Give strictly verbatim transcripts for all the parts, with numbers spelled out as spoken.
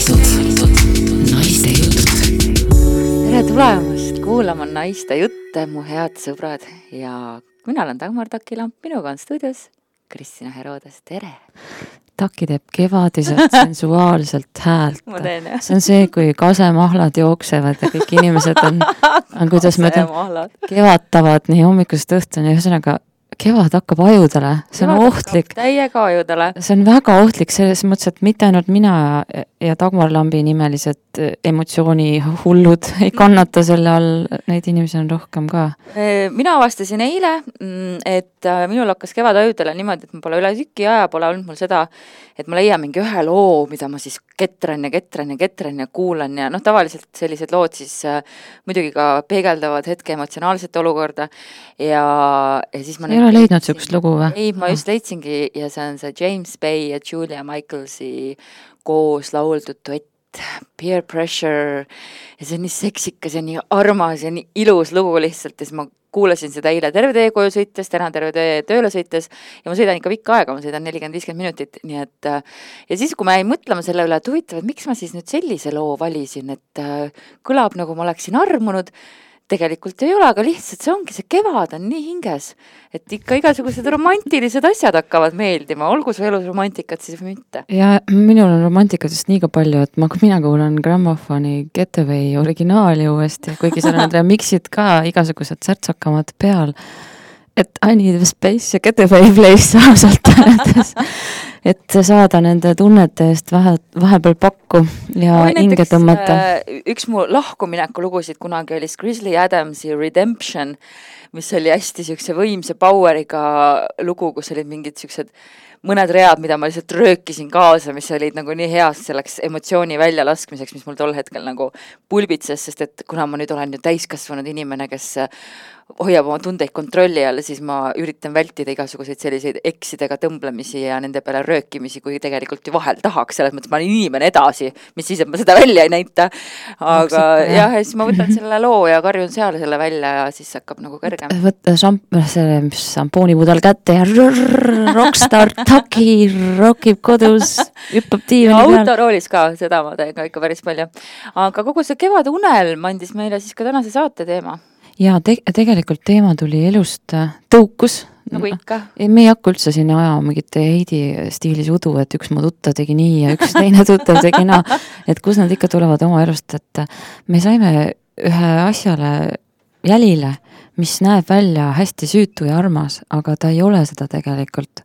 käitud naiste jutud. Tere tulemast kuulama naiste jutte, mu head sõbrad. Ja mina olen Dagmar Takilamp, minuga on stuudios Kristina Herodes, tere! Taki teeb kevadiselt sensuaalselt häält. Ma teen, jah. See on see, kui kasemahlad jooksevad ja kõik inimesed on, on kuidas ma ütlen, kevatavad nii hommikust õhtuni. Ühesõnaga, kevad hakkab ajudele. See on Kevad ohtlik. Täiega ajudele. See on väga ohtlik selles mõttes, et mitte ainult mina ja Dagmar Lambi nimelised emotsiooni hullud ei kannata selle all, neid inimesi on rohkem ka. Mina avastasin eile, et minul hakkas kevad ajudele niimoodi, et ma pole üle tüki aja, pole olnud mul seda, et ma leian mingi ühe loo, mida ma siis ketran ja ketran ja ketran ja kuulan ja noh, tavaliselt sellised lood siis äh, muidugi ka peegeldavad hetke emotsionaalset olukorda ja, ja siis ma ei ole leidnud sükst lugu või? Ei, ma just leidsingi ja see on see James Bay ja Julia Michaelsi koos lauldud duett Peer Pressure ja see on nii seksikas ja nii armas ja nii ilus lugu lihtsalt ja siis ma kuulasin seda eile terve tee koju sõites, täna terve tee tööle sõites ja ma sõidan ikka pikka aega, ma sõidan nelikümmend viiskümmend minutit, nii et ja siis, kui ma jäin mõtlema selle üle, et huvitav, et miks ma siis nüüd sellise loo valisin, et kõlab nagu ma oleksin armunud, tegelikult ei ole, aga lihtsalt see ongi, see kevad on nii hinges, et ikka igasugused romantilised asjad hakkavad meeldima, olgu su elus romantikat siis või mitte. Ja minul on romantikatest nii ka palju, et ma, mina kuulan Grammofoni Getaway originaali uuesti, kuigi seal on remixid ka igasugused särtsakamad peal, et I need a space ja Getaway place ausalt öeldes, et saada nende tunnete eest vahe, vahepeal pakku ja hinge tõmmata. Üks mu lahkumineku lugusid kunagi oli Grizzly Adamsi Redemption, mis oli hästi siukse võimse poweriga lugu, kus olid mingid siuksed mõned read, mida ma lihtsalt röökisin kaasa, mis olid nagu nii heas selleks emotsiooni välja laskmiseks, mis mul tol hetkel nagu pulbitses, sest et kuna ma nüüd olen ju täiskasvanud inimene, kes hoiab oma tundeid kontrolli all, siis ma üritan vältida igasuguseid selliseid eksidega tõmblemisi ja nende peale röökimisi, kui tegelikult ju vahel tahaks, selles mõttes ma olen inimene edasi, mis siis, et ma seda välja ei näita. Aga jah, ja siis ma võtan selle loo ja karjun seal selle välja ja siis hakkab nagu kõrgem. Võtta šamp- selle šampoonipudel kätte ja rrrr, rockstar Taki rockib kodus, hüppab tiivani peal. Autoroolis ka, seda ma teen ka ikka päris palju. Aga kogu see kevad unelm andis meile siis ka tänase saate teema. Ja te- tegelikult teema tuli elust tõukus. Nagu ikka. Me ei hakka üldse sinna aja mingit Heidi stiilis udu, et üks mu tuttav tegi nii ja üks teine tuttav tegi naa. Et kus nad ikka tulevad oma elust, et me saime ühe asjale jälile, mis näeb välja hästi süütu ja armas, aga ta ei ole seda tegelikult.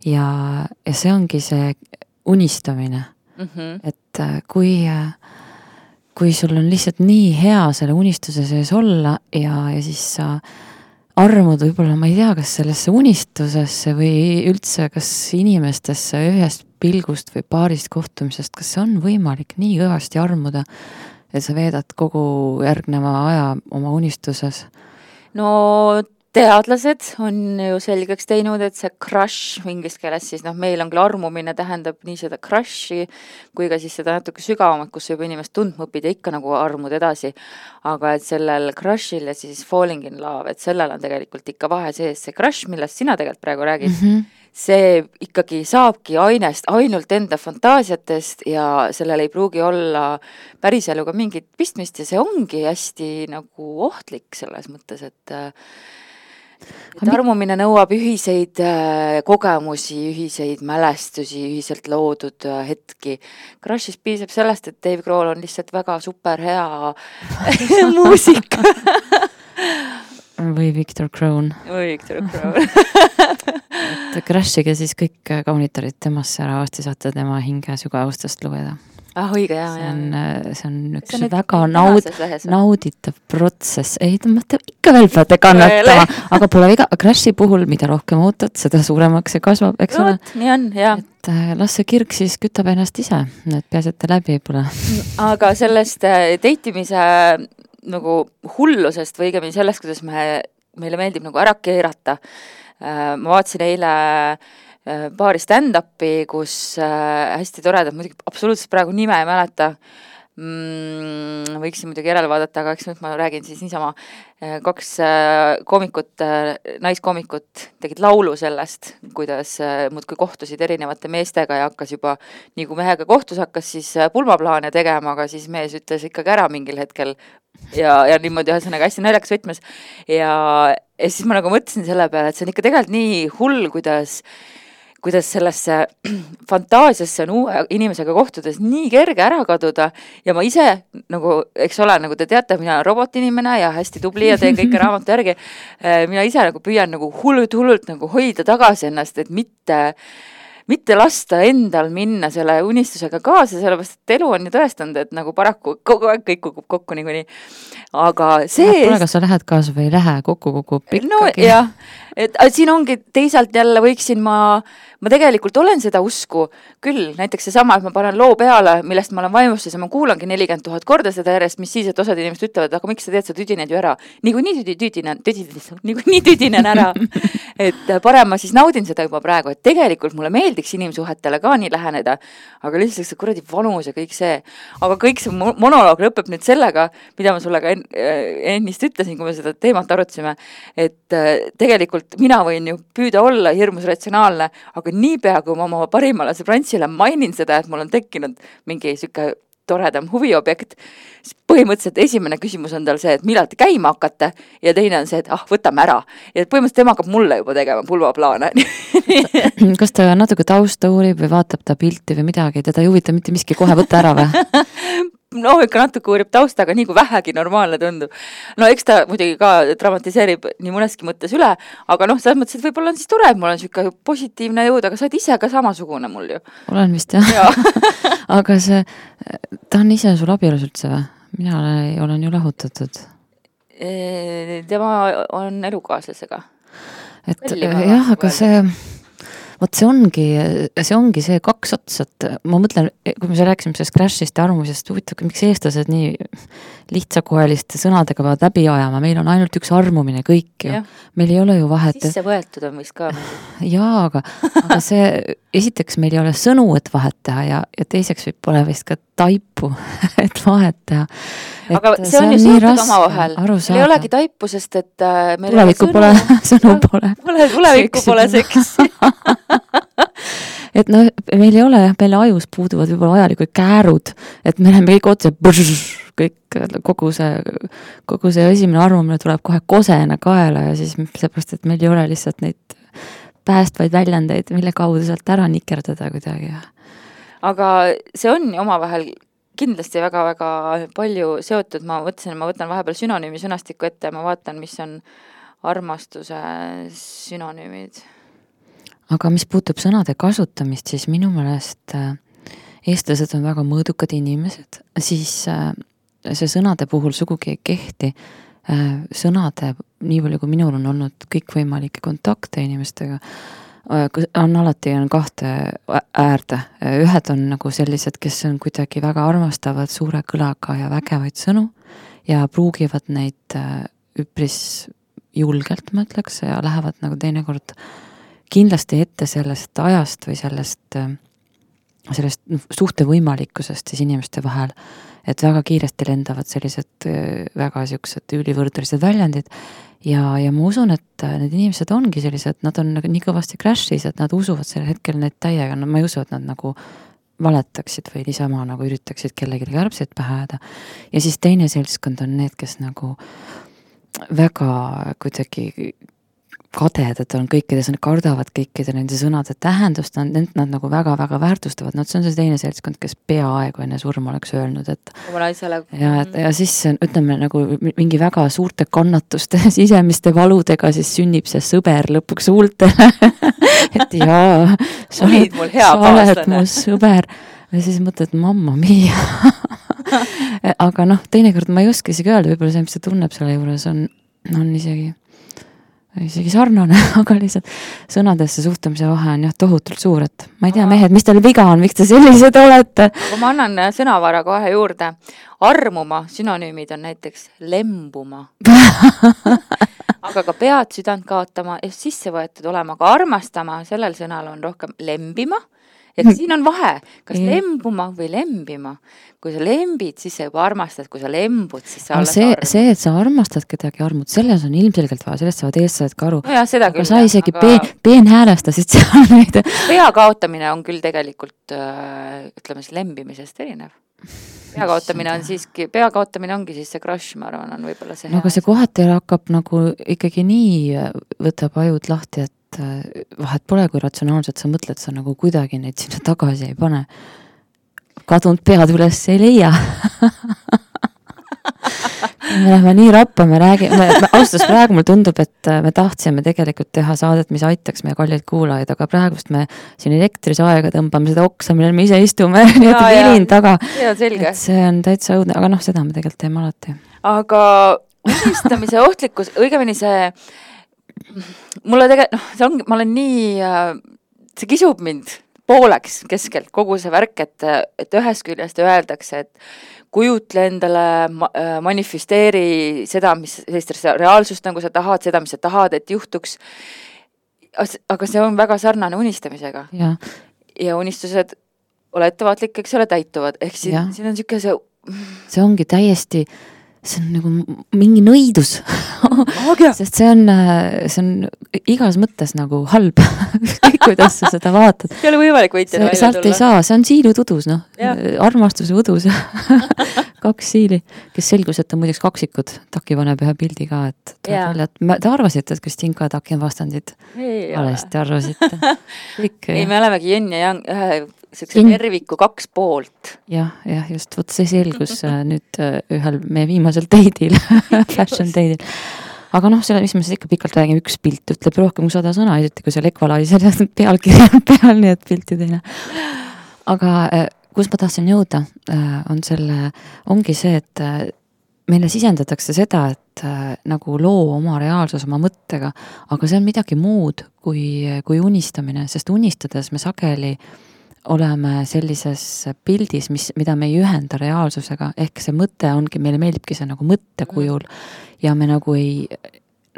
Ja, ja see ongi see unistamine. Mm-hmm. Et kui... kui sul on lihtsalt nii hea selle unistuse sees olla ja, ja siis sa armud võib-olla, ma ei tea, kas sellesse unistusesse või üldse kas inimestesse ühest pilgust või paarist kohtumisest, kas see on võimalik nii kõvasti armuda, et sa veedad kogu järgneva aja oma unistuses? No teadlased on ju selgeks teinud, et see crush inglise keeles siis, noh, meil on küll armumine tähendab nii seda crushi, kui ka siis seda natuke sügavamat, kus juba inimest tundma õpid ja ikka nagu armud edasi. Aga et sellel crushil ja siis falling in love, et sellel on tegelikult ikka vahe sees. See crush, millest sina tegelikult praegu räägid, mm-hmm. see ikkagi saabki ainest ainult enda fantaasiatest ja sellel ei pruugi olla päris eluga mingit pistmist ja see ongi hästi nagu ohtlik selles mõttes, et et armumine nõuab ühiseid äh, kogemusi, ühiseid mälestusi, ühiselt loodud äh, hetki. Crushis piisab sellest, et Dave Grohl on lihtsalt väga super hea muusik. Või Victor Crone. Või Victor Crone. et Crushige siis kõik kaunitarid temasse ära, vasti saate tema hinge sügavustest lugeda. Ah, õige, jah, see on, see on üks see on väga naud, nauditav protsess. Ei, te ikka veel peate kannatama, aga pole viga. Crashi puhul, mida rohkem ootad, seda suuremaks see kasvab, eks ole. Nii on, jah. Et las see kirg siis kütab ennast ise, et peasete läbi pole. Aga sellest teitimise nagu hullusest või õigemini sellest, kuidas me, meile meeldib nagu ära keerata. Ma vaatasin eile paari stand-upi, kus hästi toredad, muidugi absoluutselt praegu nime ei mäleta, mm, võiksin muidugi järele vaadata, aga eks nüüd ma räägin siis niisama, kaks koomikut, naiskoomikut tegid laulu sellest, kuidas muudkui kohtusid erinevate meestega ja hakkas juba, nii kui mehega kohtus, hakkas siis pulmaplaane tegema, aga siis mees ütles ikkagi ära mingil hetkel ja, ja niimoodi ühesõnaga hästi naljakas võtmes ja, ja siis ma nagu mõtlesin selle peale, et see on ikka tegelikult nii hull, kuidas kuidas sellesse fantaasiasse on uue inimesega kohtudes nii kerge ära kaduda ja ma ise, nagu, eks ole, nagu te teate, mina olen robotinimene ja hästi tubli ja teen kõike raamatu järgi, mina ise nagu püüan nagu hullult, hullult nagu hoida tagasi ennast, et mitte mitte lasta endal minna selle unistusega kaasa, sellepärast, et elu on ju tõestanud, et nagu paraku kogu aeg kõik kukub kokku niikuinii. Aga see... Pole, kas sa lähed kaasa või ei lähe, kokku kukub ikkagi. No jah, et siin ongi teisalt jälle võiksin ma, ma tegelikult olen seda usku küll, näiteks seesama, et ma panen loo peale, millest ma olen vaimustus ja ma kuulangi nelikümmend tuhat korda seda järjest, mis siis, et osad inimesed ütlevad, aga miks sa teed, sa tüdined ju ära. Niiku nii tüdinen, tüdinen, niiku nii tüdinen ära. Et parem ma siis naudin seda juba praegu, et tegelikult mulle meeldiks inimsuhetele ka nii läheneda, aga lihtsalt see kuradi vanus ja kõik see. Aga kõik see monoloog lõpeb nüüd sellega, mida ma sulle ka ennist ütlesin, kui me seda teemat arutasime, et tegelikult mina võin ju püüda olla hirmus ratsionaalne, aga niipea, kui ma oma parimale sõbrantsile mainin seda, et mul on tekkinud mingi siuke toredam huviobjekt, siis põhimõtteliselt esimene küsimus on tal see, et millal te käima hakkate ja teine on see, et ah, võtame ära. Ja põhimõtteliselt tema hakkab mulle juba tegema pulvaplaane. Kas ta natuke tausta uurib või vaatab ta pilti või midagi, teda ei huvita mitte miski kohe võtta ära või? No ikka natuke uurib taustaga, nii kui vähegi normaalne tundub. No eks ta muidugi ka dramatiseerib nii mõneski mõttes üle, aga noh, selles mõttes, et võib-olla on siis tore, et mul on siuke positiivne jõud, aga sa oled ise ka samasugune mul ju. Olen vist jah. Ja. Aga see, ta on ise sul abielus üldse või? Mina olen, olen ju lahutatud. Tema on elukaaslasega. Et Vällimaa jah, aga see... Vot see ongi, see ongi see kaks otsat. Ma mõtlen, kui me rääksime sellest crashist ja armusest, huvitav, miks eestlased nii lihtsakoeliste sõnadega peavad läbi ajama. Meil on ainult üks armumine kõik ju. Ja. Meil ei ole ju vahet. Sisse võetud on vist ka. Jaa, aga, aga see, esiteks meil ei ole sõnu, et vahet teha ja, ja teiseks võib pole vist ka taipu, et vahet teha. Et aga see on, see on ju seotud oma vahel. Meil ei olegi taipu, sest et meil tulevikku pole, sõnu pole. Pole, tulevikku pole seksi. Et noh, meil ei ole, meil ajus puuduvad võib-olla vajalikud käärud, et me oleme kõik otse brrr, kõik, kogu see, kogu see esimene arvamine tuleb kohe kosena kaela ja siis seepärast, et meil ei ole lihtsalt neid päästvaid väljendeid, mille kaudu sealt ära nikerdada kuidagi. Aga see on omavahel kindlasti väga-väga palju seotud, ma võtsin, ma võtan vahepeal sünonüümi sõnastiku ette ja ma vaatan, mis on armastuse sünonüümid. Aga mis puutub sõnade kasutamist, siis minu meelest eestlased on väga mõõdukad inimesed, siis see sõnade puhul sugugi ei kehti. Sõnade, nii palju kui minul on olnud kõikvõimalikke kontakte inimestega, on alati on kahte äärde. Ühed on nagu sellised, kes on kuidagi väga armastavad suure kõlaga ja vägevaid sõnu ja pruugivad neid üpris julgelt, ma ütleks, ja lähevad nagu teinekord kindlasti ette sellest ajast või sellest, sellest suhte võimalikkusest siis inimeste vahel, et väga kiiresti lendavad sellised väga siuksed ülivõrdlised väljendid ja, ja ma usun, et need inimesed ongi sellised, nad on nii kõvasti crashis, et nad usuvad sellel hetkel neid täiega, no ma ei usu, et nad nagu valetaksid või niisama nagu üritaksid kellegi kärbseid pähe ajada. Ja siis teine seltskond on need, kes nagu väga kuidagi kadedad on kõikides, nad kardavad kõikide nende sõnade tähendust, nad, nad nagu väga-väga väärtustavad, no see on see teine seltskond, kes peaaegu enne surma oleks öelnud, et ja, et, ja siis ütleme nagu mingi väga suurte kannatuste, sisemiste valudega siis sünnib see sõber lõpuks huultele et jaa, sa oled, sa oled mu sõber ja siis mõtled, mamma mia aga noh, teinekord ma ei oska isegi öelda, võib-olla see, mis ta tunneb selle juures on, on isegi isegi sarnane, aga lihtsalt sõnadesse suhtumise vahe on jah tohutult suur, et ma ei tea, mehed, mis teil viga on, miks te sellised olete? Aga ma annan sõnavara kohe juurde. Armuma sünonüümid on näiteks lembuma. aga ka pead südant kaotama ja sisse võetud olema, aga armastama, sellel sõnal on rohkem lembima, ja siin on vahe, kas lembuma või lembima. Kui sa lembid, siis sa juba armastad, kui sa lembud, siis sa alles see, armud. See, et sa armastad kedagi armud, selles on ilmselgelt vaja, sellest saavad eestlased ka aru. No jah, seda küll. Aga sa isegi aga... peen, peenhäälestasid seal neid. Pea kaotamine on küll tegelikult, ütleme siis, lembimisest erinev. Pea kaotamine on siiski, pea kaotamine ongi siis see crush, ma arvan, on võib-olla see. No aga see kohati hakkab nagu ikkagi nii võtab ajud lahti, et vahet pole, kui ratsionaalselt sa mõtled, sa nagu kuidagi neid sinna tagasi ei pane. Kadunud pead üles ei leia. me läheme nii rappa, me räägime, austus praegu mul tundub, et me tahtsime tegelikult teha saadet, mis aitaks meie kallilt kuulajaid, aga praegust me siin elektris aega tõmbame seda oksa, millel me ise istume, nii et vilin taga. Ja, selge. Et see on täitsa õudne, aga noh, seda me tegelikult teeme alati. Aga unistamise ohtlikkus, õigemini see, mulle tegelikult, noh, see ongi, ma olen nii, see kisub mind pooleks keskelt kogu see värk, et, et ühest küljest öeldakse, et kujutle endale, manifesteeri seda, mis sellist reaalsust nagu sa tahad, seda, mis sa tahad, et juhtuks. Aga see on väga sarnane unistamisega. Ja, ja unistused, ole ettevaatlik, eks ole, täituvad. Ehk siin, siin on siuke see... See ongi täiesti... see on nagu mingi nõidus sest see on, see on igas mõttes nagu halb kuidas sa seda vaatad. See ei ole võimalik võitjana välja tulla. Sealt ei saa, see on siilud udus, noh. Armastuse udus kaks siili, kes selgus, et on muideks kaksikud. Taki paneb ühe pildi ka, et välja, et te arvasite, et Kristinka ja Taki on vastandid. Valesti arvasite. Kõik, ei, me olemegi jön ja jang, ühe sellise terviku kaks poolt. Jah, jah, just, võt see selgus nüüd ühel meie viimasel teidil, fashion teidil. Aga noh, selle, mis me siis ikka pikalt räägime, üks pilt ütleb rohkem kui sada sõna, esiti kui see lekvalai selle pealkirja peal, nii et pilti teine. Aga kus ma tahtsin jõuda, on selle, ongi see, et meile sisendatakse seda, et nagu loo oma reaalsus oma mõttega, aga see on midagi muud kui, kui unistamine, sest unistades me sageli oleme sellises pildis, mis, mida me ei ühenda reaalsusega, ehk see mõte ongi, meile meeldibki see nagu mõttekujul ja me nagu ei,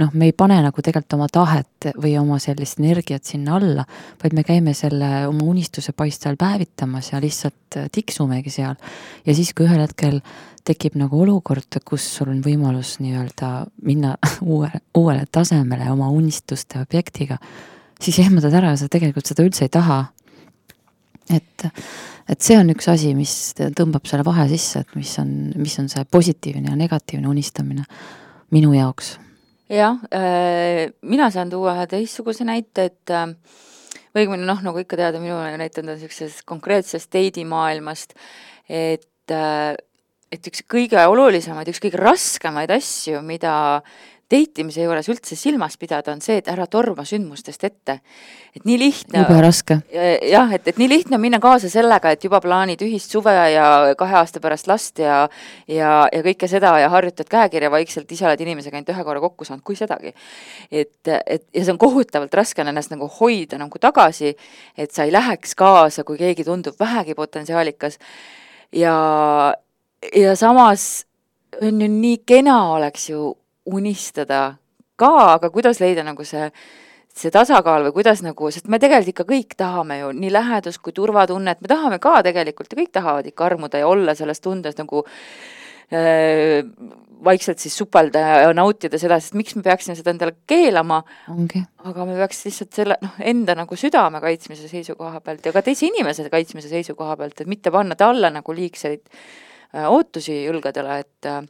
noh, me ei pane nagu tegelikult oma tahet või oma sellist energiat sinna alla, vaid me käime selle oma unistuse paistal päevitamas ja lihtsalt tiksumegi seal. Ja siis, kui ühel hetkel tekib nagu olukord, kus sul on võimalus nii-öelda minna uue, uuele tasemele oma unistuste objektiga, siis ehmatad ära ja sa tegelikult seda üldse ei taha. Et, et see on üks asi, mis tõmbab selle vahe sisse, et mis on, mis on see positiivne ja negatiivne unistamine minu jaoks. Jah, äh, mina saan tuua ühe teistsuguse näite, et äh, või noh, nagu ikka teada, minu näitend on sellisest konkreetsest teidimaailmast, et, äh, et üks kõige olulisemaid, üks kõige raskemaid asju, mida teitimise juures üldse silmas pidada on see, et ära torma sündmustest ette. Et nii lihtne... Juba raske. Jah, et, et nii lihtne on minna kaasa sellega, et juba plaanid ühist suve ja kahe aasta pärast last ja, ja, ja kõike seda ja harjutad käekirja vaikselt, ise oled inimesega ainult ühe korra kokku saanud, kui sedagi. Et, et, ja see on kohutavalt raske ennast nagu hoida nagu tagasi, et sa ei läheks kaasa, kui keegi tundub vähegi potentsiaalikas. Ja, ja samas on ju nii kena oleks ju unistada ka, aga kuidas leida nagu see, see tasakaal või kuidas nagu, sest me tegelikult ikka kõik tahame ju nii lähedus kui turvatunnet, me tahame ka tegelikult ja kõik tahavad ikka armuda ja olla selles tundes nagu äh, vaikselt siis supelda ja nautida seda, sest miks me peaksime seda endale keelama, okay. Aga me peaks lihtsalt selle, noh, enda nagu südame kaitsmise seisukoha pealt ja ka teise inimese kaitsmise seisukoha pealt, et mitte panna talle nagu liigseid äh, ootusi julgadele, et äh,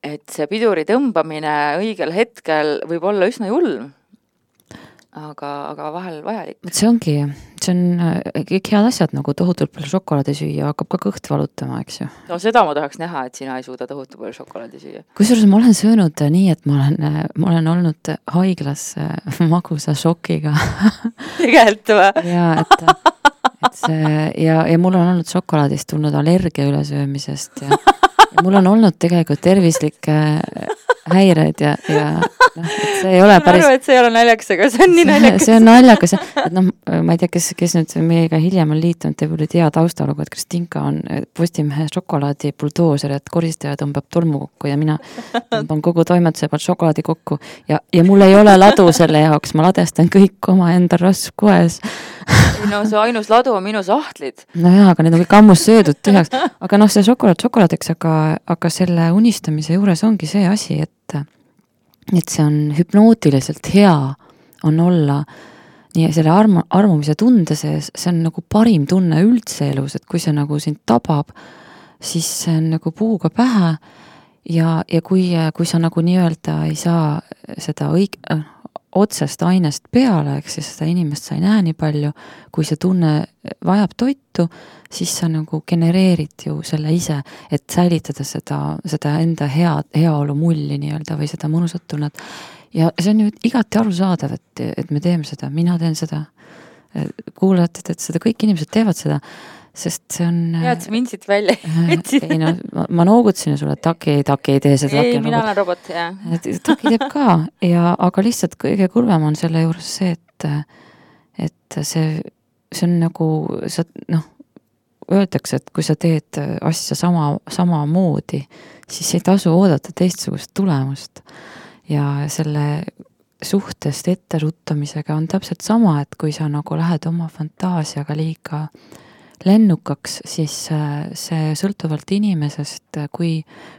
et see piduri tõmbamine õigel hetkel võib olla üsna julm, aga, aga vahel vajalik. See ongi, see on kõik head asjad, nagu tohutult palju šokolaadi süüa, hakkab ka kõht valutama, eks ju. No seda ma tahaks näha, et sina ei suuda tohutu palju šokolaadi süüa. Kusjuures ma olen söönud nii, et ma olen, ma olen olnud haiglas magusa šokiga. Tegelikult või? Ja, et, et see, ja, ja mul on olnud šokolaadist tulnud allergia ülesöömisest ja ja mul on olnud tegelikult tervislikke häireid ja, ja, noh, et see ei ole ma päris arvan, et see ei ole naljakas, aga see on nii naljakas. see on naljakas, et noh, ma ei tea, kes, kes nüüd meiega hiljem on liitunud, te võib-olla tea taustalugu, et Kristinka on Postimehe šokolaadi buldooser, et koristaja tõmbab tolmu kokku ja mina tõmban kogu toimetuse pealt šokolaadi kokku ja, ja mul ei ole ladu selle jaoks, ma ladestan kõik oma enda raskues. Ei no see ainus ladu on minu sahtlid. No jaa, aga need on kõik ammus söödud tühjaks, aga noh, see šokolaad šokolaadiks, aga, aga selle unistamise juures ongi see asi, et et see on hüpnootiliselt hea on olla nii selle armu, armumise tunde sees, see on nagu parim tunne üldse elus, et kui see nagu sind tabab, siis see on nagu puuga pähe ja, ja kui, kui sa nagu nii-öelda ei saa seda õig-, otsest ainest peale, eks siis seda inimest sa ei näe nii palju, kui see tunne vajab toitu, siis sa nagu genereerid ju selle ise, et säilitada seda, seda enda hea, heaolu mulli nii-öelda või seda mõnusat tunnet. Ja see on ju igati arusaadav, et, et me teeme seda, mina teen seda, kuulajad, et seda kõik inimesed teevad seda, sest see on... Ja, et sa mind siit välja ei no, ma, ma noogutasin sulle, et Taki, Taki ei tee seda. Ei, mina olen robot, jah. Taki teeb ka, ja, aga lihtsalt kõige kurvem on selle juures see, et, et see, see on nagu, sa, noh, öeldakse, et kui sa teed asja sama, sama moodi, siis ei tasu oodata teistsugust tulemust. Ja selle suhtest etteruttamisega on täpselt sama, et kui sa nagu lähed oma fantaasiaga liiga lennukaks, siis see sõltuvalt inimesest, kui,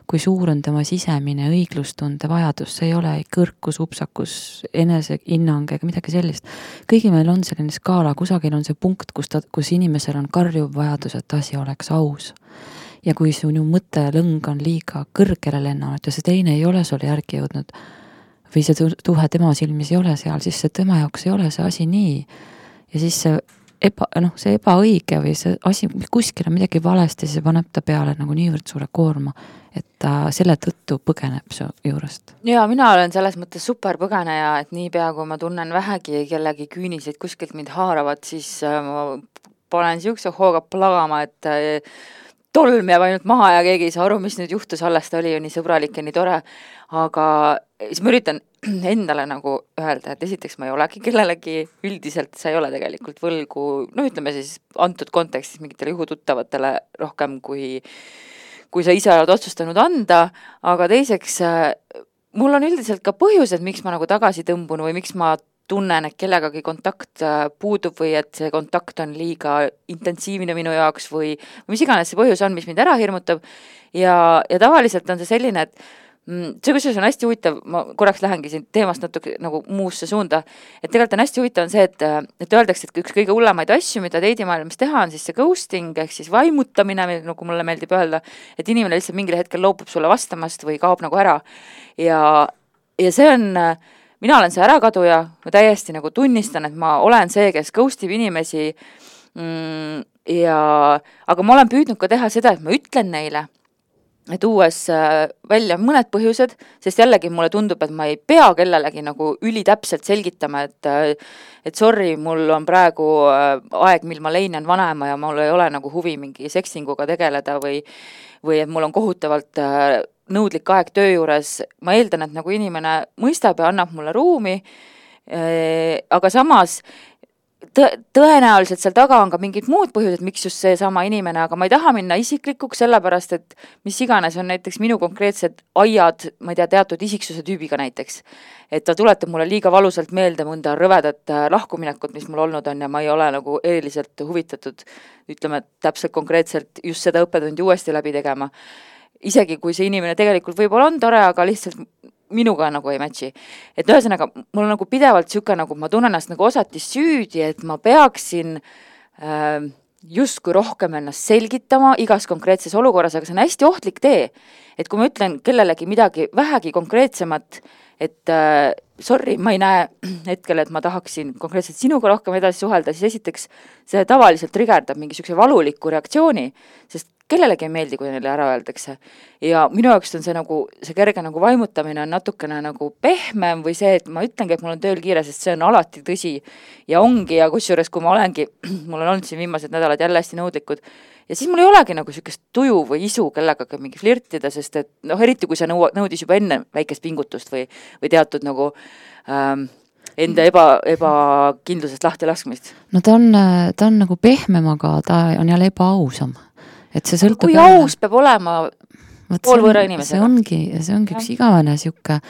kui suur on tema sisemine õiglustunde vajadus, see ei ole kõrkus, upsakus, eneseinnang ega midagi sellist. Kõigi meil on selline skaala, kusagil on see punkt, kus, ta, kus inimesel on karjuv vajadus, et asi oleks aus. Ja kui sinu mõttelõng on liiga kõrgele lennanud ja see teine ei ole sulle järgi jõudnud või see tuhe tema silmis ei ole seal, siis see tema jaoks ei ole see asi nii. Ja siis see eba, noh, see ebaõige või see asi, kuskil on midagi valesti, see paneb ta peale nagu niivõrd suure koorma, et ta selle tõttu põgeneb su juurest. Ja mina olen selles mõttes super põgeneja, et niipea kui ma tunnen vähegi kellegi küüniseid kuskilt mind haaravad, siis ma panen siukse hooga plagama, et tolm jääb ainult maha ja keegi ei saa aru, mis nüüd juhtus, alles ta oli ju nii sõbralik ja nii tore, aga siis ma üritan endale nagu öelda, et esiteks ma ei olegi kellelegi, üldiselt sa ei ole tegelikult võlgu, no ütleme siis antud kontekstis mingitele juhututtavatele rohkem, kui, kui sa ise oled otsustanud anda, aga teiseks mul on üldiselt ka põhjused, miks ma nagu tagasi tõmbun või miks ma tunnen, et kellegagi kontakt puudub või et see kontakt on liiga intensiivne minu jaoks või, või mis iganes see põhjus on, mis mind ära hirmutab ja, ja tavaliselt on see selline, et see kusjuures on hästi huvitav, ma korraks lähengi siin teemast natuke nagu muusse suunda, et tegelikult on hästi huvitav on see, et, et öeldakse, et üks kõige hullemaid asju, mida teidimaailmas teha on siis see ghosting ehk siis vaimutamine, nagu mulle meeldib öelda, et inimene lihtsalt mingil hetkel loobub sulle vastamast või kaob nagu ära ja, ja see on mina olen see ärakaduja, ma täiesti nagu tunnistan, et ma olen see, kes ghostib inimesi mm, ja, aga ma olen püüdnud ka teha seda, et ma ütlen neile, et uues välja mõned põhjused, sest jällegi mulle tundub, et ma ei pea kellelegi nagu ülitäpselt selgitama, et, et sorry, mul on praegu aeg, mil ma leinen vanema ja mul ei ole nagu huvi mingi seksinguga tegeleda või, või et mul on kohutavalt nõudlik aeg töö juures, ma eeldan, et nagu inimene mõistab ja annab mulle ruumi, aga samas tõ- tõenäoliselt seal taga on ka mingid muud põhjused, miks just see sama inimene, aga ma ei taha minna isiklikuks, sellepärast et mis iganes on näiteks minu konkreetsed aiad, ma ei tea, teatud isiksuse tüübiga näiteks, et ta tuletab mulle liiga valusalt meelde mõnda rõvedat lahkuminekut, mis mul olnud on ja ma ei ole nagu eriliselt huvitatud, ütleme, täpselt konkreetselt just seda õppetundi uuesti läbi tegema. Isegi kui see inimene tegelikult võib-olla on tore, aga lihtsalt minuga nagu ei matchi. Et ühesõnaga, mul on nagu pidevalt siuke, nagu ma tunnen ennast nagu osati süüdi, et ma peaksin äh, justkui rohkem ennast selgitama igas konkreetses olukorras, aga see on hästi ohtlik tee. Et kui ma ütlen kellelegi midagi vähegi konkreetsemat, et äh, sorry, ma ei näe hetkel, et ma tahaksin konkreetselt sinuga rohkem edasi suhelda, siis esiteks see tavaliselt trigerdab mingi siukse valuliku reaktsiooni, sest kellelegi ei meeldi, kui neile ära öeldakse. Ja minu jaoks on see nagu, see kerge nagu vaimutamine on natukene nagu pehmem või see, et ma ütlengi, et mul on tööl kiire, sest see on alati tõsi ja ongi ja kusjuures, kui ma olengi, mul on olnud siin viimased nädalad jälle hästi nõudlikud ja siis mul ei olegi nagu sükest tuju või isu kellega mingi flirtida, sest et noh, eriti kui see nõu, nõudis juba enne väikest pingutust või, või teatud nagu ähm, enda eba, ebakindlusest lahti laskmist. No ta on, ta on nagu pehmem, aga ta on jälle ebaausam. Et see sõltub kui jälle... aus peab olema pool võõra inimesega. See ongi, see ongi üks igavene siuke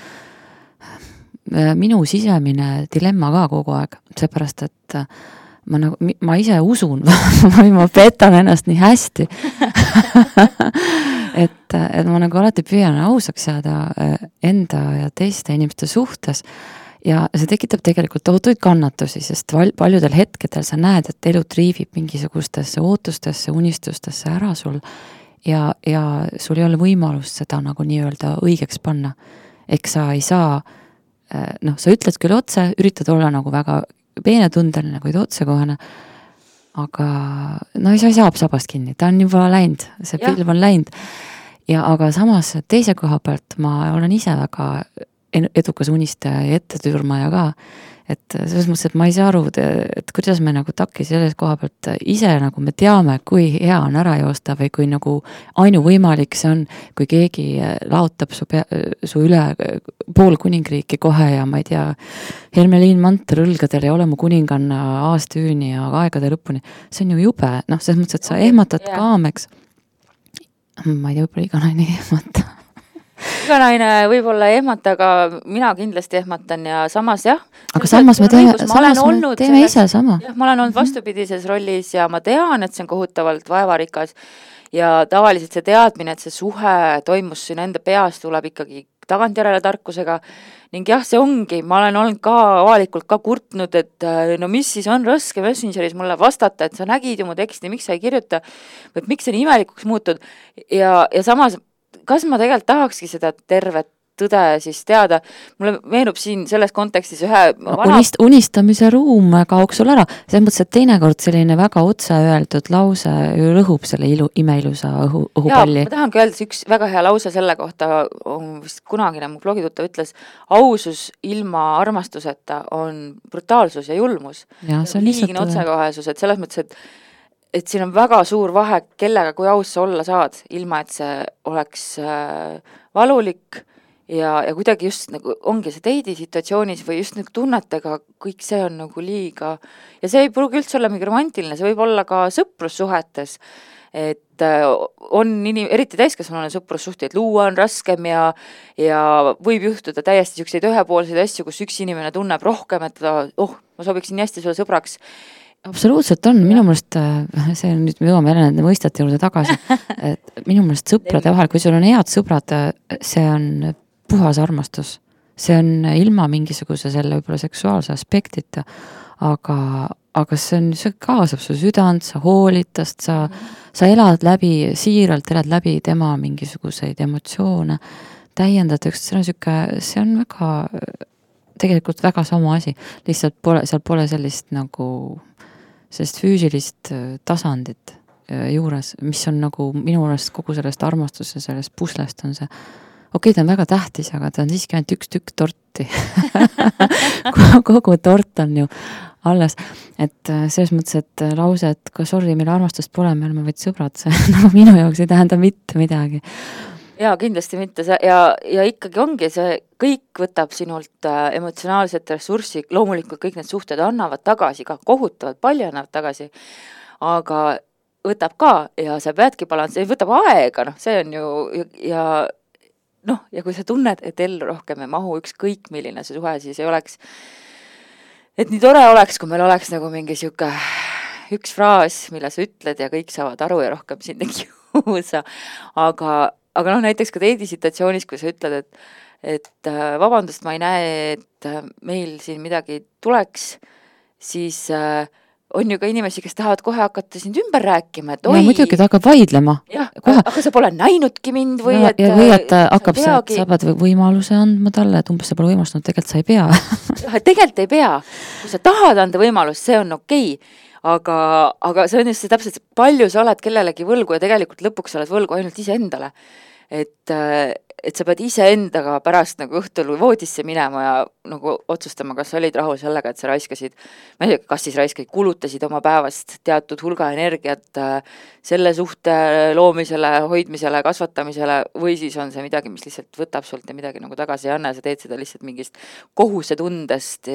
minu sisemine dilemma ka kogu aeg, seepärast, et ma, nagu, ma ise usun või ma petan ennast nii hästi et, et ma nagu alati püüan ausaks jääda enda ja teiste inimeste suhtes ja see tekitab tegelikult tohutuid kannatusi, sest val, paljudel hetkedel sa näed, et elu triivib mingisugustesse ootustesse, unistustesse ära sul ja, ja sul ei ole võimalust seda nagu nii-öelda õigeks panna. Eks sa ei saa, noh, sa ütled küll otse, üritad olla nagu väga peenetundeline, kuid otsekohane, aga no sa ei saa sabast kinni, ta on juba läinud, see ja. Pilv on läinud. Ja aga samas teise koha pealt ma olen ise väga edukas unistaja ja ettetürmaja ka, et selles mõttes, et ma ei saa aru, et kuidas me nagu takki selles koha pealt ise nagu me teame, kui hea on ära joosta või kui nagu ainu võimalik see on, kui keegi laotab su, pea, su üle pool kuningriiki kohe ja ma ei tea, Hermeliin Manter õlgadel ja ole mu kuninganna aastüüni ja aegade lõpuni, see on ju jube, noh, selles mõttes, et sa ehmatad yeah. kaameks, ma ei tea, võib-olla iga naine ei ehmata iga naine võib-olla ei ehmata, aga mina kindlasti ehmatan ja samas jah. Aga samas me teeme, samas me teeme ise sama. Jah, ma olen olnud vastupidises rollis ja ma tean, et see on kohutavalt vaevarikas ja tavaliselt see teadmine, et see suhe toimus siin enda peas, tuleb ikkagi tagantjärele tarkusega ning jah, see ongi, ma olen olnud ka avalikult ka kurtnud, et no mis siis on raske Messengeris mulle vastata, et sa nägid ju mu teksti, miks sa ei kirjuta, või miks see nii imelikuks muutud ja, ja samas kas ma tegelikult tahakski seda tervet tõde siis teada, mulle meenub siin selles kontekstis ühe vana... Unist, unistamise ruum kaoks sul ära, selles mõttes, et teinekord selline väga otse öeldud lause rõhub selle ilu, imeilusa õhu, õhupalli. Jaa, ma tahangi öelda, üks väga hea lause selle kohta, vist kunagine mu blogituta ütles, ausus ilma armastuseta on brutaalsus ja julmus. Ja, see on liigine otsekohesus, et selles mõttes, et et siin on väga suur vahe, kellega kui aus sa olla saad, ilma et see oleks äh, valulik ja, ja kuidagi just nagu ongi see teidi situatsioonis või just nagu tunnetega, kõik see on nagu liiga ja see ei pruugi üldse olla mingi romantiline, see võib olla ka sõprussuhetes, et äh, on inim-, eriti täiskasvanune sõprussuhteid luua on raskem ja, ja võib juhtuda täiesti selliseid ühepoolseid asju, kus üks inimene tunneb rohkem, et ta, oh, ma sobiksin nii hästi sulle sõbraks. Absoluutselt on, minu mõelest, see on nüüd, me jõuame jälle nende mõistete juurde tagasi, et minu mõelest sõprade vahel, kui sul on head sõbrad, see on puhas armastus, see on ilma mingisuguse selle võib-olla seksuaalse aspektita, aga, aga see on, see kaasab su südant, sa hoolid tast, sa, sa elad läbi, siiralt elad läbi tema mingisuguseid emotsioone, täiendad, see on siuke, see on väga, tegelikult väga sama asi, lihtsalt pole, seal pole sellist nagu sellist füüsilist tasandit juures, mis on nagu minu arust kogu sellest armastuse, sellest puslest on see, okei okay,, ta on väga tähtis, aga ta on siiski ainult üks tükk torti. kogu tort on ju alles, et selles mõttes, et lause, et ka sorry, meil armastust pole, me oleme vaid sõbrad, see nagu minu jaoks ei tähenda mitte midagi. Jaa, kindlasti mitte see ja, ja ikkagi ongi see, kõik võtab sinult äh, emotsionaalset ressurssi, loomulikult kõik need suhted annavad tagasi, ka kohutavalt palju annavad tagasi, aga võtab ka ja sa peadki balans, võtab aega, noh, see on ju ja noh, ja kui sa tunned, et ellu rohkem ei mahu ükskõik milline see suhe, siis ei oleks, et nii tore oleks, kui meil oleks nagu mingi siuke üks fraas, mille sa ütled ja kõik saavad aru ja rohkem sind ei kiusa, aga aga noh, näiteks ka teidi situatsioonis, kui sa ütled, et, et vabandust, ma ei näe, et meil siin midagi tuleks, siis äh, on ju ka inimesi, kes tahavad kohe hakata sind ümber rääkima, et oi. Ja muidugi ta hakkab vaidlema. Jah, aga sa pole näinudki mind või ja, et... Ja või et hakkab sa, sa pead võimaluse andma talle, et umbes sa pole võimalust, no tegelikult sa ei pea. Tegelikult ei pea. Kui sa tahad anda võimalust, see on okei. aga, aga see on just see täpselt, palju sa oled kellelegi võlgu ja tegelikult lõpuks sa oled võlgu ainult iseendale. Et, et sa pead iseendaga pärast nagu õhtul voodisse minema ja nagu otsustama, kas sa olid rahul sellega, et sa raiskasid, ma ei tea, kas siis raiskasid, kulutasid oma päevast teatud hulga energiat selle suhte loomisele, hoidmisele, kasvatamisele või siis on see midagi, mis lihtsalt võtab sult ja midagi nagu tagasi ei anna ja sa teed seda lihtsalt mingist kohusetundest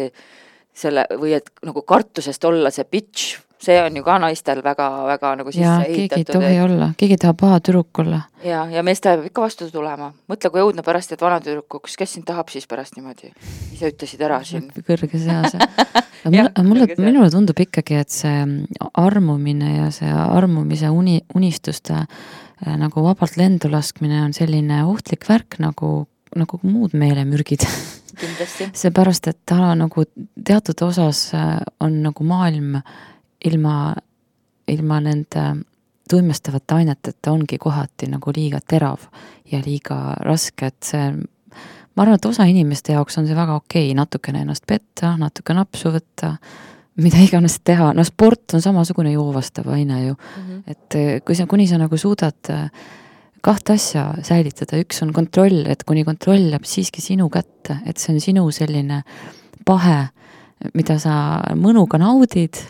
selle, või et nagu kartusest olla see bitch, see on ju ka naistel väga, väga nagu sisse ja ehitatud. keegi ei tohi et... olla, keegi tahab paha tüdruk olla. Ja, ja meeste peab ikka vastu tulema. Mõtle, kui õudne pärast, et vana tüdrukuks, kes sind tahab siis pärast niimoodi? Ise ütlesid ära siin. Kõrges eas. mulle, mulle, minule tundub ikkagi, et see armumine ja see armumise uni, unistuste nagu vabalt lendu laskmine on selline ohtlik värk nagu, nagu muud meelemürgid. Seepärast, et ta nagu teatud osas on nagu maailm ilma, ilma nende tuimestavat aineteta ongi kohati nagu liiga terav ja liiga raske, et see, ma arvan, et osa inimeste jaoks on see väga okei, natukene ennast petta, natuke napsu võtta, mida iganes teha, no sport on samasugune joovastav aine ju, mm-hmm. et kui sa, kuni sa nagu suudad kahte asja säilitada, üks on kontroll, et kuni kontroll jääb siiski sinu kätte, et see on sinu selline pahe, mida sa mõnuga naudid,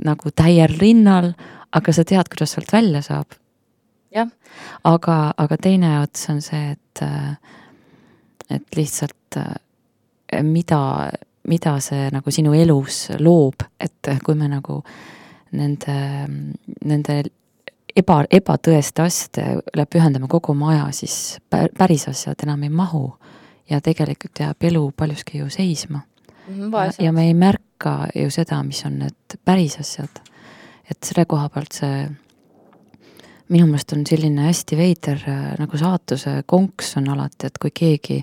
nagu täiel rinnal, aga sa tead, kuidas sealt välja saab. Jah. Aga, aga teine ots on see, et, et lihtsalt mida, mida see nagu sinu elus loob, et kui me nagu nende, nende eba, ebatõeste asjadele pühendame kogu oma aja, siis päris asjad enam ei mahu ja tegelikult jääb elu paljuski ju seisma. Ja, ja me ei märka ju seda, mis on need päris asjad. Et selle koha pealt see minu meelest on selline hästi veider nagu saatuse konks on alati, et kui keegi,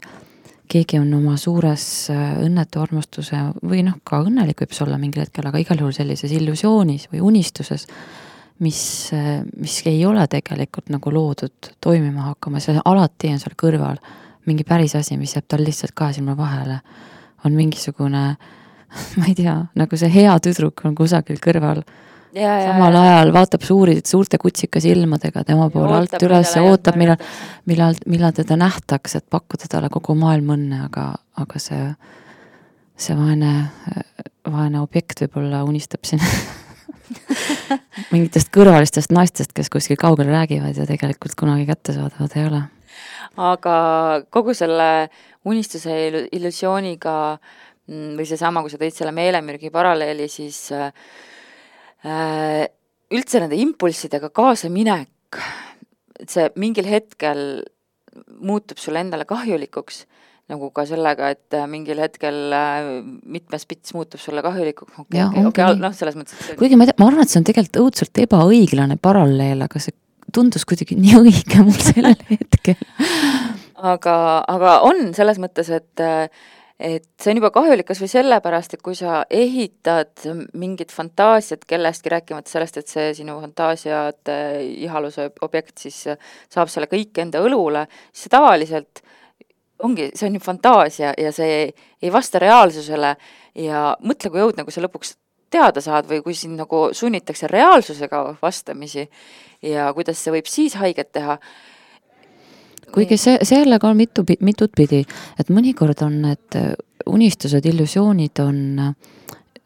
keegi on oma suures õnnetu armastuse või noh, ka õnnelik võib see olla mingil hetkel, aga igal juhul sellises illusioonis või unistuses, mis, mis ei ole tegelikult nagu loodud toimima hakkama, see alati on seal kõrval mingi päris asi, mis jääb tal lihtsalt kahe silma vahele. On mingisugune, ma ei tea, nagu see hea tüdruk on kusagil kõrval. Ja, samal ja, ajal vaatab suuri, suurte kutsikas ilmadega tema poole alt üles ja ootab, millal, millal, millal teda nähtaks, et pakkuda talle kogu maailm õnne, aga, aga see, see vaene, vaene objekt võib-olla unistab siin mingitest kõrvalistest naistest, kes kuskil kaugel räägivad ja tegelikult kunagi kätte saadavad ei ole. Aga kogu selle unistuse illusiooniga või see sama, kui sa tõid selle meelemürgi paralleeli, siis äh, üldse nende impulssidega kaasa minek, see mingil hetkel muutub sulle endale kahjulikuks, nagu ka sellega, et mingil hetkel mitmes pits muutub sulle kahjulikuks. Okay, ja, okay, okay, no, selles mõttes, et see... Kuigi ma, ma arvan, et see on tegelikult õudselt ebaõiglane paralleel, aga see tundus kuidagi nii õige mul sellel hetkel. aga, aga on selles mõttes, et, et see on juba kahjulik kas või sellepärast, et kui sa ehitad mingit fantaasiat kellestki, rääkimata sellest, et see sinu fantaasiat ihaluse objekt siis saab selle kõik enda õlule, siis see tavaliselt ongi, see on ju fantaasia ja see ei vasta reaalsusele ja mõtle, kui õudne, kui sa lõpuks teada saad või kui siin nagu sunnitakse reaalsusega vastamisi ja kuidas see võib siis haiget teha. Kuigi see, sellega on mitu, mitut pidi, et mõnikord on need unistused, illusioonid on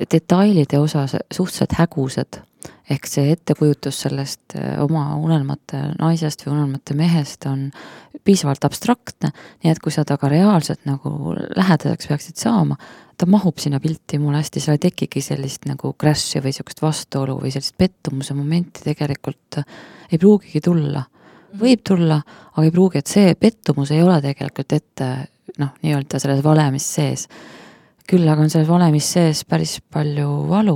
detailide osas suhteliselt hägused, ehk see ettekujutus sellest oma unelmate naisest või unelmate mehest on piisavalt abstraktne, nii et kui sa taga reaalselt nagu lähedaseks peaksid saama, ta mahub sinna pilti mul hästi, seal ei tekigi sellist nagu crash'i või sellist vastuolu või sellist pettumuse momenti tegelikult ei pruugigi tulla. Võib tulla, aga ei pruugi, et see pettumus ei ole tegelikult ette, noh, nii-öelda selles valemis sees. Küll aga on selles valemis sees päris palju valu,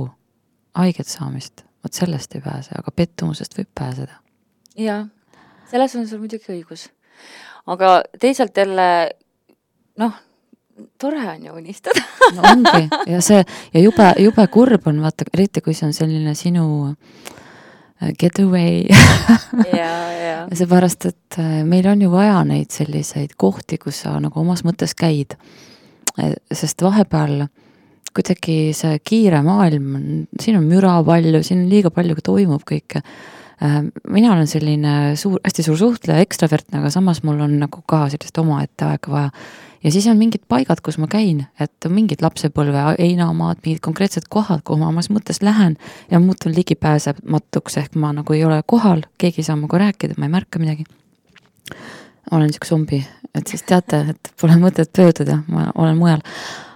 haiget saamist. Vot sellest ei pääse, aga pettumusest võib pääseda. Jaa, selles on sul muidugi õigus. Aga teisalt jälle, noh, tore on ju unistada. No ongi, ja see, ja jube, jube kurb on, vaata, eriti kui see on selline sinu getaway. ja, ja. Seepärast, et meil on ju vaja neid selliseid kohti, kus sa nagu omas mõttes käid. Sest vahepeal kuidagi see kiire maailm, siin on müra palju, siin liiga palju toimub kõike. Mina olen selline suur, hästi suur suhtleja, ekstravertne, aga samas mul on nagu ka sellist oma ette aega vaja. Ja siis on mingid paigad, kus ma käin, et on mingid lapsepõlve, einamaad, mingid konkreetsed kohad, kuhu ma omas mõttes lähen ja muutun ligipääsematuks, ehk ma nagu ei ole kohal, keegi ei saa muga rääkida, ma ei märka midagi. Olen niisugune zombi, et siis teate, et pole mõtet pööduda, ma olen mujal.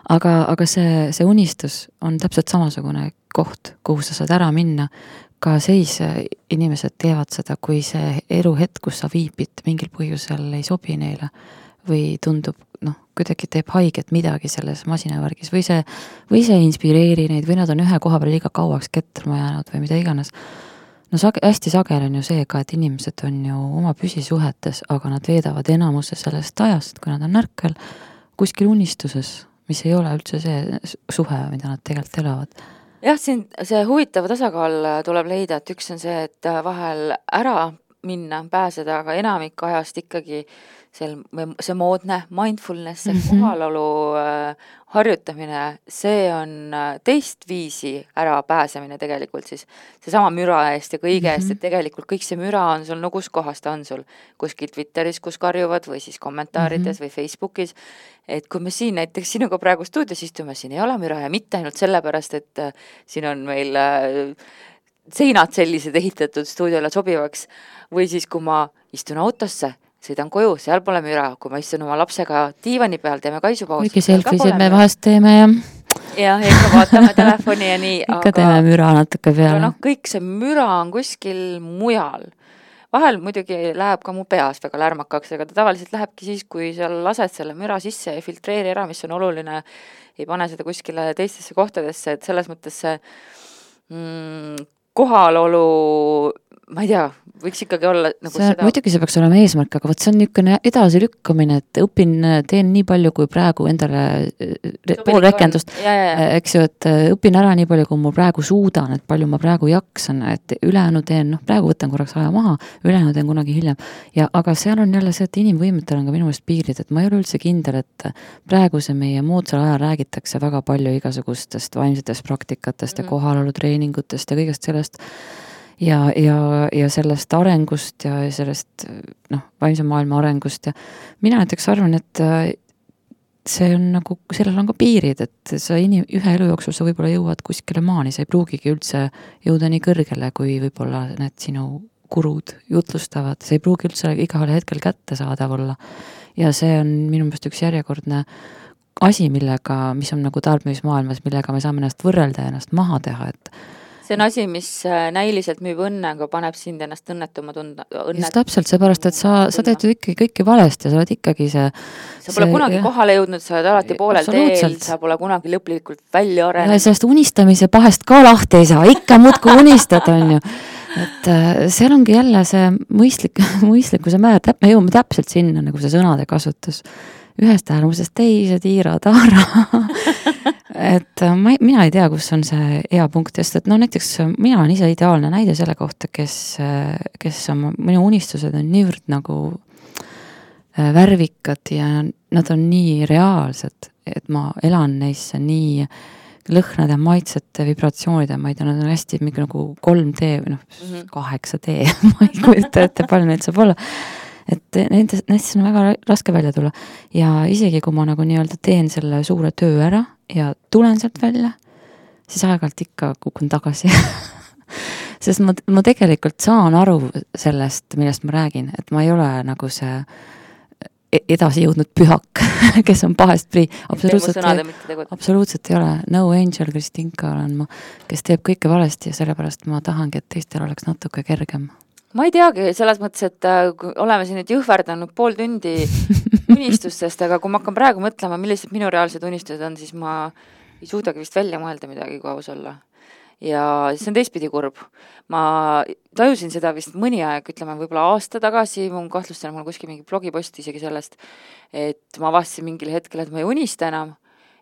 Aga, aga see, see unistus on täpselt samasugune koht, kuhu sa saad ära minna. Ka seis inimesed teevad seda, kui see eluhetk, kus sa viibid, mingil põhjusel ei sobi neile või tundub, noh, kuidagi teeb haiget midagi selles masinavärgis või see, või see inspireeri neid või nad on ühe koha peal liiga kauaks ketrama jäänud või mida iganes. No sage, hästi sagel on ju see ka, et inimesed on ju oma püsisuhetes, aga nad veedavad enamuse sellest ajast, kui nad on närkel kuskil unistuses, mis ei ole üldse see suhe, mida nad tegelikult elavad. Jah, siin see huvitav tasakaal tuleb leida, et üks on see, et vahel ära minna, pääseda, aga enamik ajast ikkagi see, see moodne mindfulness, see mm-hmm. kohalolu äh, harjutamine, see on teist viisi ära pääsemine tegelikult siis seesama müra eest ja kõige eest, mm-hmm. et tegelikult kõik see müra on sul, no kus kohas ta on sul, kuskil Twitteris, kus karjuvad või siis kommentaarides mm-hmm. või Facebookis, et kui me siin näiteks sinuga praegu stuudios istume, siin ei ole müra ja mitte ainult sellepärast, et äh, siin on meil äh, seinad sellised ehitatud stuudiole sobivaks või siis kui ma istun autosse, sõidan koju, seal pole müra, kui ma istun oma lapsega diivani peal, teeme kaisupausi. Kuigi selfisid me vahest teeme ja ja ikka vaatame telefoni ja nii. Ikka aga, teeme müra natuke peale. No, kõik see müra on kuskil mujal. Vahel muidugi läheb ka mu peas väga lärmakaks, aga ta tavaliselt lähebki siis, kui seal lased selle müra sisse ja filtreeri ära, mis on oluline, ei pane seda kuskile teistesse kohtadesse, et selles mõttes see mm, kohalolu, ma ei tea, võiks ikkagi olla nagu see, seda... Muidugi see peaks olema eesmärk, aga võt see on niisugune edasi lükkamine, et õpin, teen nii palju, kui praegu endale pool rekendust, eks ju, et õpin ära nii palju, kui mul praegu suudan, et palju ma praegu jaksan, et ülejäänu teen, noh, praegu võtan korraks aja maha, ülejäänu teen kunagi hiljem. Ja, aga seal on jälle see, et inimvõimetel on ka minu meelest piirid, et ma ei ole üldse kindel, et praegu see meie moodsal ajal räägitakse väga palju igasugustest vaimsetest praktikatest ja kohalolutreeningutest ja kõigest sellest, ja, ja, ja sellest arengust ja sellest, noh, vaimse maailma arengust ja mina näiteks arvan, et see on nagu, sellel on ka piirid, et sa inim, ühe elu jooksul sa võib-olla jõuad kuskile maani, sa ei pruugigi üldse jõuda nii kõrgele, kui võib-olla need sinu kurud jutlustavad, see ei pruugi üldse igal hetkel kätte saadav olla ja see on minu meelest üks järjekordne asi, millega, mis on nagu tarbimismaailmas, millega me saame ennast võrrelda ja ennast maha teha, et see on asi, mis näiliselt müüb õnne, aga paneb sind ennast õnnetuma tunda. Õnnet... Just täpselt, seepärast, et sa, sa teed ju ikkagi kõike valesti ja sa oled ikkagi see... Sa pole see, kunagi jah, kohale jõudnud, sa oled alati poolel teel, sa pole kunagi lõplikult välja arenenud. Ja sellest unistamise pahest ka lahti ei saa, ikka muudku unistad, on ju. Et seal ongi jälle see mõistlik, mõistlikkuse määr, me jõuame täpselt sinna, nagu see sõnade kasutus. Ühest äärmusest teise tiira taara. et ma, mina ei tea, kus on see hea punkt, sest et no näiteks mina olen ise ideaalne näide selle kohta, kes, kes on, minu unistused on niivõrd nagu värvikad ja nad on nii reaalsed, et ma elan neisse nii lõhnade, maitsete, vibratsioonide, ma ei tea, nad on hästi mingi nagu kolm D või noh, kaheksa D, ma ei kujuta ette, palju neid saab olla. Et nendest, nendest on väga raske välja tulla ja isegi kui ma nagu nii-öelda teen selle suure töö ära ja tulen sealt välja, siis aeg-ajalt ikka kukun tagasi. Sest ma, ma tegelikult saan aru sellest, millest ma räägin, et ma ei ole nagu see edasi jõudnud pühak, kes on pahest prii. Absoluutselt, ei, absoluutselt ei ole. No Angel Kristinka olen ma, kes teeb kõike valesti ja sellepärast ma tahangi, et teistel oleks natuke kergem. Ma ei teagi, selles mõttes, et oleme siin nüüd jõhverdanud pool tundi unistustest, aga kui ma hakkan praegu mõtlema, millised minu reaalsed unistused on, siis ma ei suudagi vist välja mõelda midagi, kui aus olla. Ja see on teistpidi kurb. Ma tajusin seda vist mõni aeg, ütleme võib-olla aasta tagasi, mun kahtlustan, mul kuskil mingi blogipost isegi sellest, et ma vastasin mingil hetkel, et ma ei unista enam.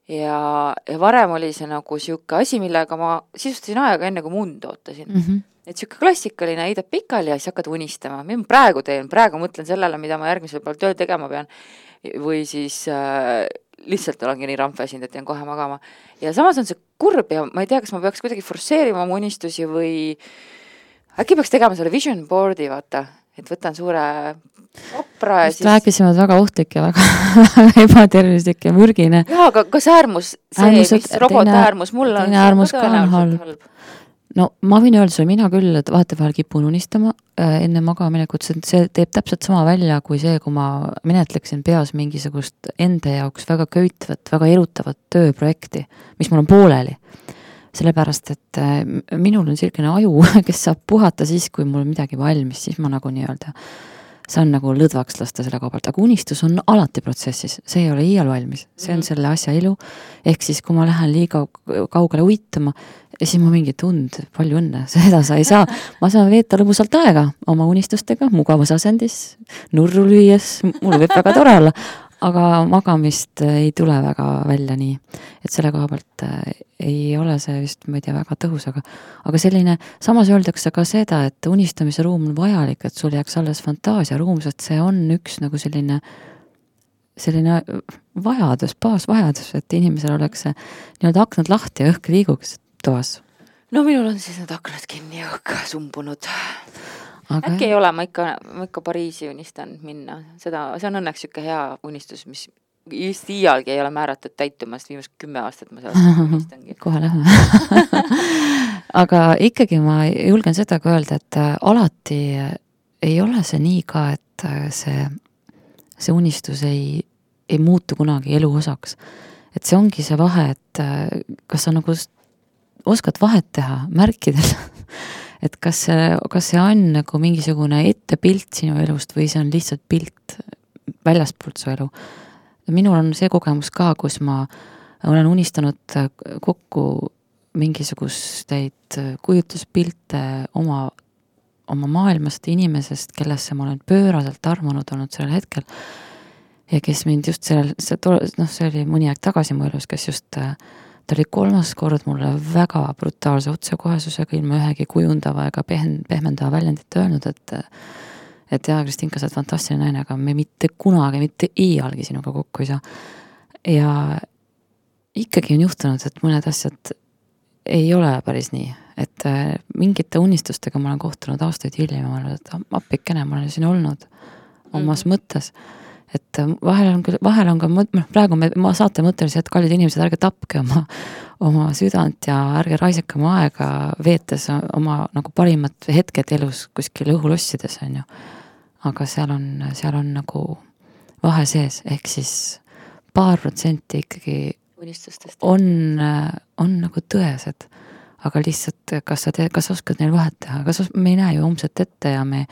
Ja, ja varem oli see nagu siuke asi, millega ma sisustasin aega enne, kui mund ootasin. Mm-hmm. Et siuke klassikaline heidab pikali ja siis hakkad unistama. Mida ma praegu teen? Praegu mõtlen sellele, mida ma järgmisel päeval tööl tegema pean. Või siis äh, lihtsalt olengi nii rampväsinud, et jään kohe magama. Ja samas on see kurb ja ma ei tea, kas ma peaks kuidagi forsseerima oma unistusi või äkki peaks tegema selle vision board'i, vaata, et võtan suure opra ja Just siis... rääkisime väga ohtlik ja väga ebatervislik ja mürgine. Jaa, aga kas äärmus, see, Äärmused, mis robot teine, äärmus mul on, teine äärmus ka on halb. No ma võin öelda sulle, mina küll, et vahetevahel kipun unistama äh, enne magaminekut, see teeb täpselt sama välja kui see, kui ma menetleksin peas mingisugust enda jaoks väga köitvat, väga erutavat tööprojekti, mis mul on pooleli. Sellepärast, et äh, minul on selline aju, kes saab puhata siis, kui mul on midagi valmis, siis ma nagu nii-öelda saan nagu lõdvaks lasta selle koha pealt, aga unistus on alati protsessis, see ei ole iial valmis, see on selle asja ilu, ehk siis kui ma lähen liiga kaugele uitama, siis ma mingi tund, palju õnne, seda sa ei saa, ma saan veeta lõbusalt aega oma unistustega, mugavusasendis, nurru lüües, mul võib väga tore olla, aga magamist ei tule väga välja nii, et selle koha pealt ei ole see vist, ma ei tea, väga tõhus, aga, aga selline, samas öeldakse ka seda, et unistamise ruum on vajalik, et sul jääks alles fantaasia ruum, sest see on üks nagu selline, selline vajadus, baasvajadus, et inimesel oleks see nii-öelda aknad lahti ja õhk liiguks toas. No minul on siis need aknad kinni ja õhk sumbunud. Aga äkki ei ole, ma ikka, ma ikka Pariisi unistan minna. Seda, see on õnneks siuke hea unistus, mis just iialgi ei ole määratud täitumast viimast kümme aastat ma sellest unistangi. Kohe lähme. Aga ikkagi ma julgen seda ka öelda, et alati ei ole see nii ka, et see, see unistus ei, ei muutu kunagi elu osaks. Et see ongi see vahe, et kas sa nagu oskad vahet teha märkidel, et kas see, kas see on nagu mingisugune ettepilt sinu elust või see on lihtsalt pilt väljastpoolt su elu. Minul on see kogemus ka, kus ma olen unistanud kokku mingisugusteid kujutuspilte oma, oma maailmast inimesest, kellesse ma olen pööraselt armunud olnud sellel hetkel ja kes mind just sellel, see, noh, see oli mõni aeg tagasi mu elus, kes just ta oli kolmas kord mulle väga brutaalse otsekohesusega ilma ühegi kujundava ega pehmendava väljendit öelnud, et et jah, Kristinka, sa oled fantastiline naine, aga me mitte kunagi, mitte iialgi sinuga kokku ei saa. Ja ikkagi on juhtunud, et mõned asjad ei ole päris nii, et mingite unistustega ma olen kohtunud aastaid hiljem ja ma olen, et appikene, ma olen siin olnud omas mm. mõttes. Et vahel on, vahel on ka, praegu me, ma saate mõttelisi, et kallid inimesed, ärge tapke oma, oma südant ja ärge raisake oma aega veetes oma nagu parimat hetked elus kuskil õhulossides, on ju. Aga seal on, seal on nagu vahe sees, ehk siis paar protsenti ikkagi unistustest on, on nagu tõesed, aga lihtsalt kas sa te, kas oskad neil vahet teha, kas me ei näe ju homset ette ja me,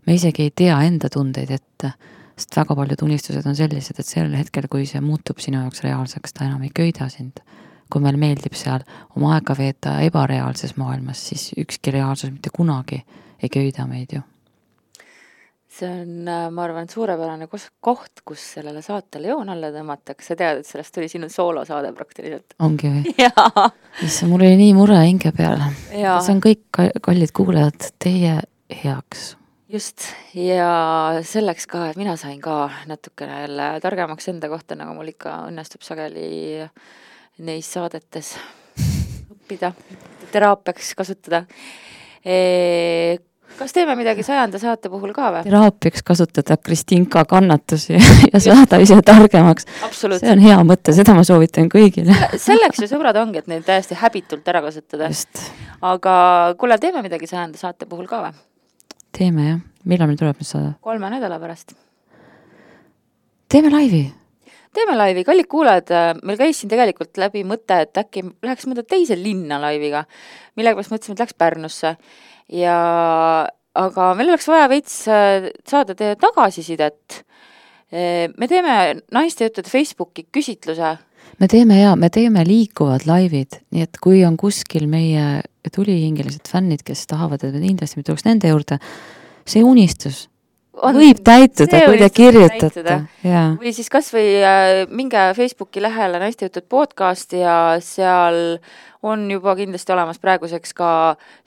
me isegi ei tea enda tundeid ette, sest väga paljud unistused on sellised, et sellel hetkel, kui see muutub sinu jaoks reaalseks, ta enam ei köida sind. Kui meil meeldib seal oma aega veeta ebareaalses maailmas, siis ükski reaalsus mitte kunagi ei köida meid ju. See on, ma arvan, suurepärane koht, kus sellele saatele joon alla tõmmatakse. Sa tead, et sellest tuli sinu soolosaade praktiliselt. Ongi või? Jaa. Issa, mul oli nii mure hinge peale. Jaa. See on kõik kallid kuulajad teie heaks. Just, ja selleks ka, et mina sain ka natukene jälle targemaks enda kohta, nagu mul ikka õnnestub sageli neis saadetes õppida, teraapiaks kasutada. E, kas teeme midagi sajanda saate puhul ka või? Teraapiaks kasutada Kristinka kannatusi ja saada ise targemaks. See on hea mõte, seda ma soovitan kõigile. Selleks ju sõbrad ongi, et neid täiesti häbitult ära kasutada. Just. Aga kuule, teeme midagi sajanda saate puhul ka või? Teeme jah. Millal meil tuleb nüüd saada? Kolme nädala pärast. Teeme laivi. Teeme laivi. Kallid kuulajad, meil käis siin tegelikult läbi mõte, et äkki läheks mõnda teise linna laiviga, millega pärast mõtlesime, et läks Pärnusse. Ja, aga meil oleks vaja veits saada teie tagasisidet. Me teeme naiste jutud Facebooki küsitluse. Me teeme ja, me teeme liikuvad laivid, nii et kui on kuskil meie tulihingelised fännid, kes tahavad, et kindlasti me tuleks nende juurde, see unistus on, võib täituda, kui te kirjutate. Või siis kas või äh, minge Facebooki lähele naiste jutud podcast ja seal on juba kindlasti olemas praeguseks ka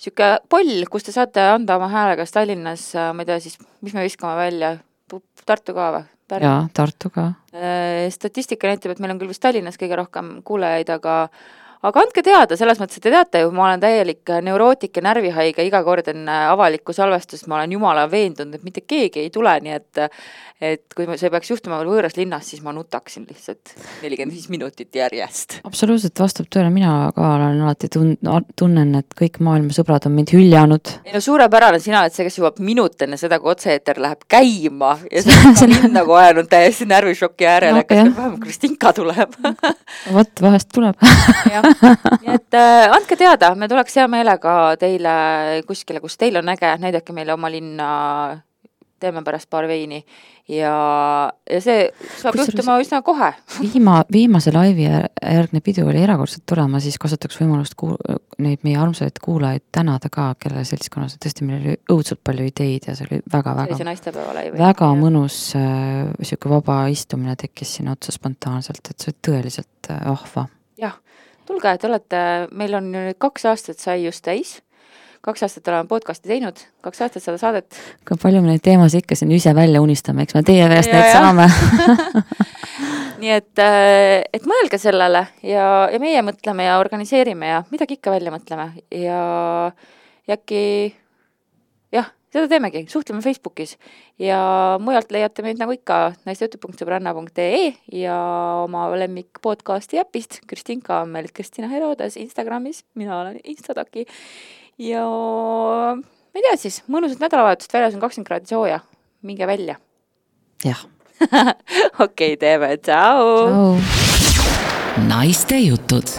siuke poll, kus te saate anda oma hääle kas Tallinnas, ma ei tea siis, mis me viskame välja, Tartu ka või? Jaa, Tartu ka. Statistika näitab, et meil on küll vist Tallinnas kõige rohkem kuulajaid, aga aga andke teada, selles mõttes, et te teate ju, ma olen täielik neurootik ja närvihaige, iga kord on avalikku salvestust, ma olen jumala veendunud, et mitte keegi ei tule, nii et et kui see peaks juhtuma veel võõras linnas, siis ma nutaksin lihtsalt nelikümmend viis minutit järjest. Absoluutselt vastab tõele, mina ka olen alati tun- tunnen, et kõik maailma sõbrad on mind hüljanud. Ei no suurepärane, sina oled see, kes jõuab minut enne seda, kui otse-eeter läheb käima ja see on ka minna kohe on täiesti närvišokki äärele, no, kas vähem Kristinka tuleb. Vot, vahest tuleb. Jah, nii et äh, andke teada, me tuleks hea meelega teile kuskile, kus teil on äge, näidake meile oma linna, teeme pärast paar veini ja, ja see saab Kus juhtuma üsna kohe. Viima, viimase laivi järgne pidu oli erakordselt tore, ma siis kasutaks võimalust kuul, neid meie armsaid kuulajaid tänada ka, kelle seltskonnas tõesti meil oli õudselt palju ideid ja see oli väga, väga, väga, väga mõnus äh, siuke vaba istumine tekkis siin otsa spontaanselt, et see oli tõeliselt äh, ahva. Jah, tulge, et olete, meil on nüüd kaks aastat sai just täis, kaks aastat oleme podcasti teinud, kaks aastat seda saadet. Kui palju me neid teemasid ikka siin ise välja unistame, eks me teie käest need saame. Nii et, et mõelge sellele ja, ja meie mõtleme ja organiseerime ja midagi ikka välja mõtleme ja, ja äkki jah, seda teemegi, suhtleme Facebookis ja mujalt leiate meid nagu ikka naistejutud punkt sõbranna punkt ee ja oma lemmik podcasti äpist. Kristinka on meil Kristina Herodes Instagramis, mina olen Instataki ja ma ei tea siis, mõnusat nädalavahetust, väljas on kakskümmend kraadi sooja, minge välja. Jah. Okei, teeme, tšau! Naiste jutud.